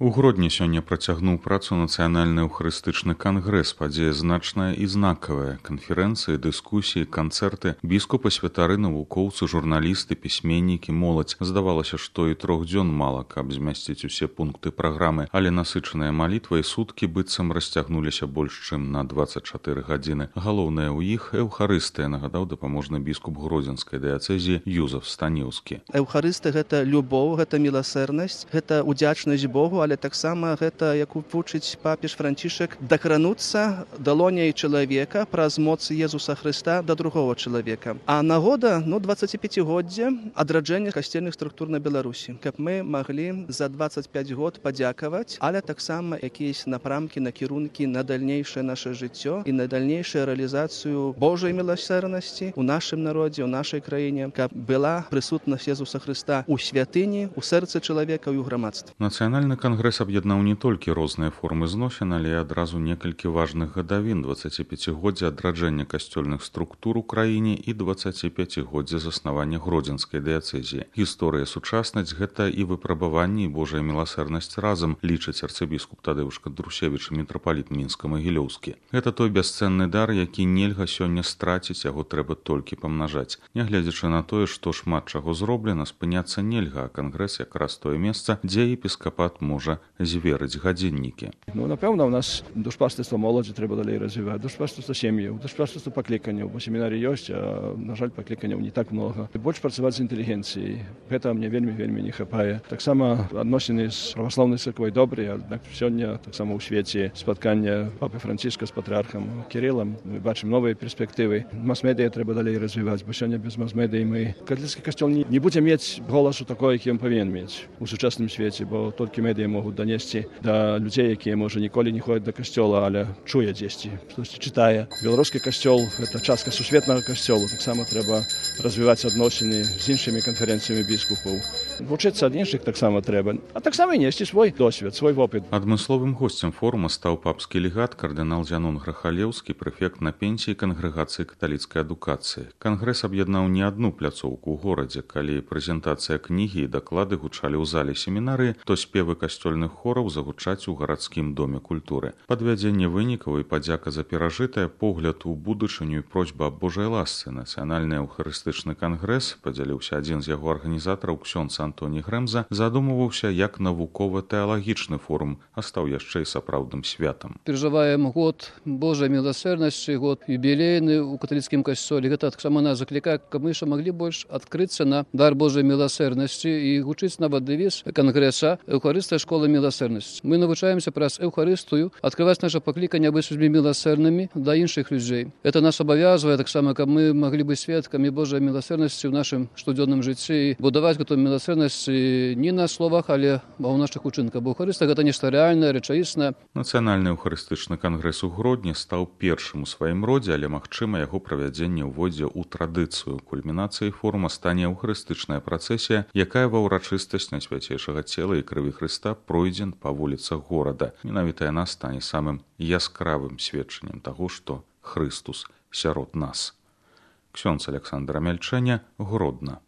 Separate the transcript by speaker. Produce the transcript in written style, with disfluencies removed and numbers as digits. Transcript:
Speaker 1: У Гродні сёння працягнуў працу нацыянальны эўхарыстычны кангрэс, падзея значная і знакавая. Канферэнцыі, дыскусіі, канцэрты, біскупы, святары, навукоўцы, журналісты, пісьменнікі, моладзь. Здавалася, што і 3 дзён мала, каб змясціць усе пункты праграмы, але насычаныя малітвай суткі быццам расцягнуліся больш чым на 24 гадзіны. Галоўнае ў іх эўхарыстыя, нагадаў дапаможны біскуп гродзенскай дыяцэзіі Юзаф Станіўскі.
Speaker 2: Эўхарысты гэта любоў, гэта міласэрнасць, гэта удзячнасць Богу, але таксама гэта, як вучыць папіж Францішак, дакрануцца далоняй чалавека праз моц Езуса Хрыста да другого чалавека. А нагода 25годдзя адраджэння касцельных структур на Беларусі, каб мы маглі за 25 год падзякаваць, але таксама якісь напрамкі, накірункі на дальнейшае наше жыццё і на дальнейшую рэалізацыю Божай міласэрнасці ў нашым народзе, ў нашай краіне, каб была прысутнасць Езуса Хрыста ў святыні, у сэрцы чалавека і ў грамадстве.
Speaker 1: Нацыянальны кангрэс аб'яднаў не толькі розныя формы зносін, але і адразу некалькі важных гадавін: 25годдзя адраджэння касцёльных структур у краіне і 25годдзя заснавання гродзенскай дыяцэзіі. Гісторыя, сучаснасць — гэта і выпрабаванні, і Божая міласэрнасць разам, лічыць арцыбіскуп Тадеуш Кадрусевіч, мітрапаліт Мінска-Магілёўскі. Гэта той бясцэнны дар, які нельга сёння страціць, яго трэба толькі памнажаць. Нягледзячы на тое, што шмат чаго зроблена, спыняцца нельга, а кангрэс якраз тое месца, дзе епіскапат можа зверыць гадзіннікі.
Speaker 3: Напэўна, у нас душпастырства моладзі трэба далей развіваць, душпастырства сем'яў, душпастырства пакліканняў, бо семінары ёсць, а, на жаль, пакліканняў не так много. Больш працаваць з інтэлігенцыяй. Гэта мне вельмі не хапае. Таксама адносіны з праваслаўнай царквой добрыя, аднак сёння таксама ў свеце спаткання папы Францішка з патрыархам Кірылам. Мы бачым новыя перспектывы. Мас-медыя трэба далей развіваць, бо сёння без мас-медыі мы каталіцкі касцёл не будзе мець голасу такой, які ён павінен мець у сучасным свеце, бо толькі медыі могуць данесці да людзей, якія, можа, ніколі не ходзяць да касцёла, але чуе дзесьці, штосьці чытае. Беларускі касцёл — гэта частка сусветнага касцёла. Таксама трэба развіваць адносіны з іншымі канферэнцыямі біскупаў. Вучыцца ад іншых таксама трэба, а таксама і несці свой досвед, свой вопыт.
Speaker 1: Адмысловым госцем форума стаў папскі легат кардынал Зянон Грахалеўскі, прэфект на пенсіі кангрэгацыі каталіцкай адукацыі. Кангрэс аб'яднаў не адну пляцоўку ў горадзе. Калі прэзентацыя кнігі і даклады гучалі ў зале семінарыі, то спевы касцёльных хораў загучаць у гарадскім доме культуры. Падвядзенне вынікаў і падзяка за перажытае, погляд у будучыню і просьба аб Божай ласцы. Нацыянальны эўхарыстычны кангрэс, падзяліўся адзін з яго арганізатараў, ксёндз Антоній Грэмза, задумываўся як навукова-тэалагічны форум, а стаў яшчэ і сапраўдным святам.
Speaker 4: Перажываем год Божай міласэрнасці, год юбілейны ў каталіцкім касцёле. Гэта таксама нас заклікае, каб мы яшчэ маглі больш адкрыцца на дар Божай міласэрнасці і гучыць нават дэвіз кангрэса «Эўхарыстыя школа міласэрнасці». Мы навучаемся праз эўхарыстыю адкрываць наша пакліканне быць людзьмі міласэрнымі да іншых людзей. Это нас абавязвае таксама, каб мы маглі быць сведкамі Божай міласэрнасці ў нашым штодзённым жыцці і будаваць гэту міласэрнасць не на словах, але ў нашых учынках. Бо эўхарыстыя — гэта нешта рэальнае, рэчаіснае.
Speaker 1: Нацыянальны эўхарыстычны кангрэс у Гродні стаў першым у сваім родзе, але магчыма яго правядзенне ўводзе ў традыцыю. Кульмінацыяй форума стане эўхарыстычная працэсія, якая ва ўрачыстасць Найсвяцейшага цела і крыві Хрыста пройдзе па вуліцах горада. Менавіта яна стане самым яскравым сведчаннем таго, што Хрыстус сярод нас. Ксёндз Аляксандр Амяльчэня, Гродна.